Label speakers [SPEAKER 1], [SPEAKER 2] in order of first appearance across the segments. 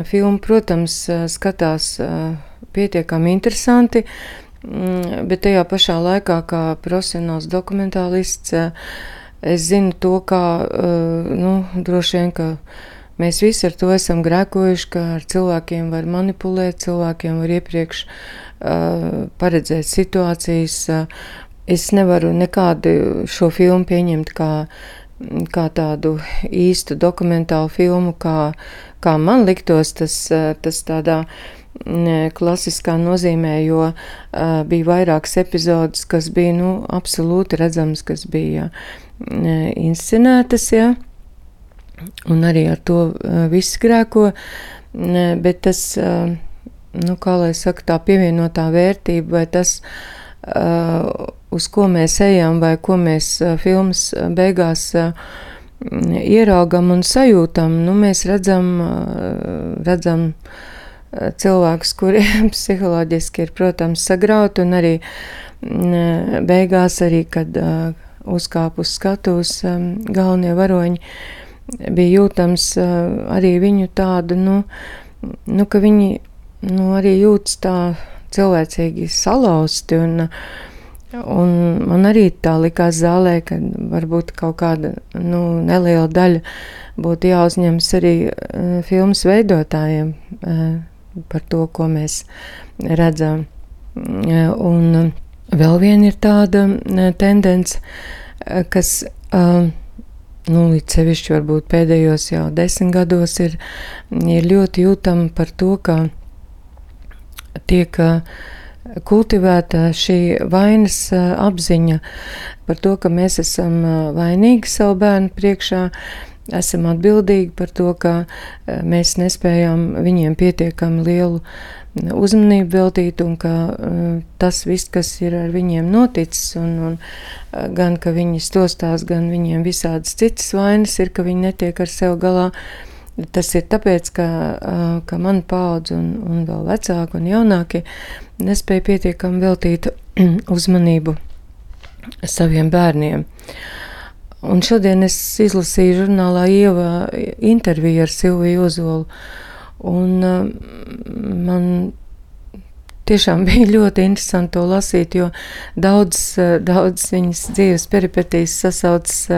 [SPEAKER 1] Filmu, protams, skatās pietiekami interesanti, bet tajā pašā laikā, kā profesionāls dokumentālists, es zinu to, kā, droši vien, ka mēs visi ar to esam grēkojuši, ka ar cilvēkiem var manipulēt, cilvēkiem var iepriekš paredzēt situācijas. Es nevaru nekādu šo filmu pieņemt kā tādu īstu dokumentālu filmu, kā man liktos tas tādā klasiskā nozīmē, jo bija vairākas epizodes, kas bija absolūti redzams, kas bija inscenētas, ja? Un arī ar to viss grēko, bet tas, kā lai saka, tā pievienotā vērtība vai tas, uz ko mēs ejam vai ko mēs filmas beigās ieraugam un sajūtam, mēs redzam cilvēkus, kuriem psiholoģiski ir, protams, sagrauti, un arī beigās arī, kad uzkāp uz skatuves galvenie varoņi, bija jūtams arī viņu tādu, ka viņi arī jūtas tā cilvēcīgi salauzti, un man arī tā likās zālē, ka varbūt kaut kāda neliela daļa būtu jāuzņemas arī filmas veidotājiem par to, ko mēs redzam. Un vēl viena ir tāda tendence, kas līdz sevišķi varbūt pēdējos jau 10 gados ir ļoti jūtama par to, ka tiek kultivēta šī vainas apziņa par to, ka mēs esam vainīgi savu bērnu priekšā, esam atbildīgi par to, ka mēs nespējam viņiem pietiekami lielu uzmanību veltīt, un ka tas viss, kas ir ar viņiem noticis, un gan, ka viņi stostās, gan viņiem visādas citas vainas ir, ka viņi netiek ar sev galā. Tas ir tāpēc, ka mana paudze un vēl vecāki un jaunākie nespēja pietiekami veltīt uzmanību saviem bērniem. Un šodien es izlasīju žurnālā Ieva interviju ar Silviju Ozolu, un man tiešām bija ļoti interesanti to lasīt, jo daudz viņas dzīves peripetīs sasaucas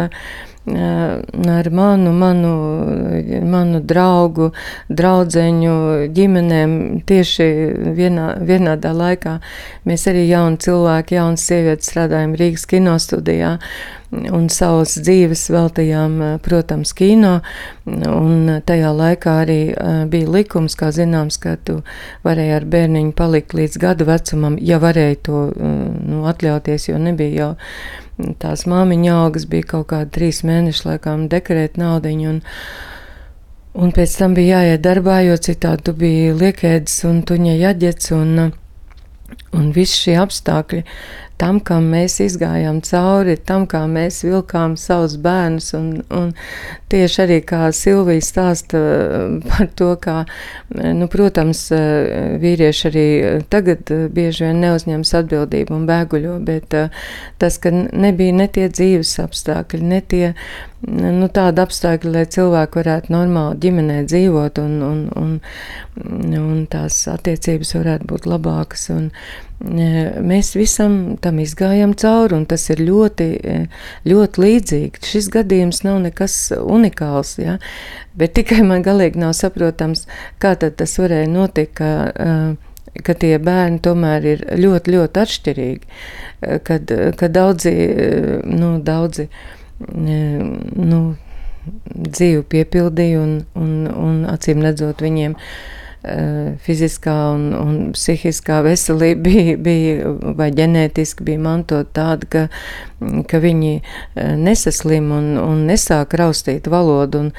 [SPEAKER 1] ar manu draugu, draudzeņu, ģimenēm tieši vienādā laikā. Mēs arī jauni cilvēki, jaunas sievietes strādājam Rīgas kinostudijā un savas dzīves veltījām, protams, kino, un tajā laikā arī bija likums, kā zināms, ka tu varēji ar bērniņu palikt līdz gadu vecumam, ja varēji to atļauties, jo nebija jau tās māmiņa algas, bija kaut kādi 3 mēneši, laikām, dekrēt naudiņu, un pēc tam bija jāiet darbā, jo citādi tu biji liekēdis un tuņa jaģets, un visi šie apstākļi tam, kam mēs izgājām cauri, tam, kā mēs vilkām savus bērnus, un tieši arī kā Silvija stāsta par to, kā, protams, vīrieši arī tagad bieži vien neuzņemas atbildību un bēguļo, bet tas, ka nebija ne tie dzīves apstākļi, ne tie, tāda apstākļi, lai cilvēki varētu normāli ģimenē dzīvot, un tās attiecības varētu būt labākas, un mēs visam tam izgājām cauri, un tas ir ļoti, ļoti līdzīgi. Šis gadījums nav nekas unikāls, ja? Bet tikai man galīgi nav saprotams, kā tad tas varēja notikt, ka tie bērni tomēr ir ļoti, ļoti atšķirīgi, kad daudzi dzīvi piepildīja, un acīm redzot viņiem fiziskā un psihiskā veselība bija vai ģenētiski bija mantot tāda, ka viņi nesaslim un nesāk raustīt valodu, un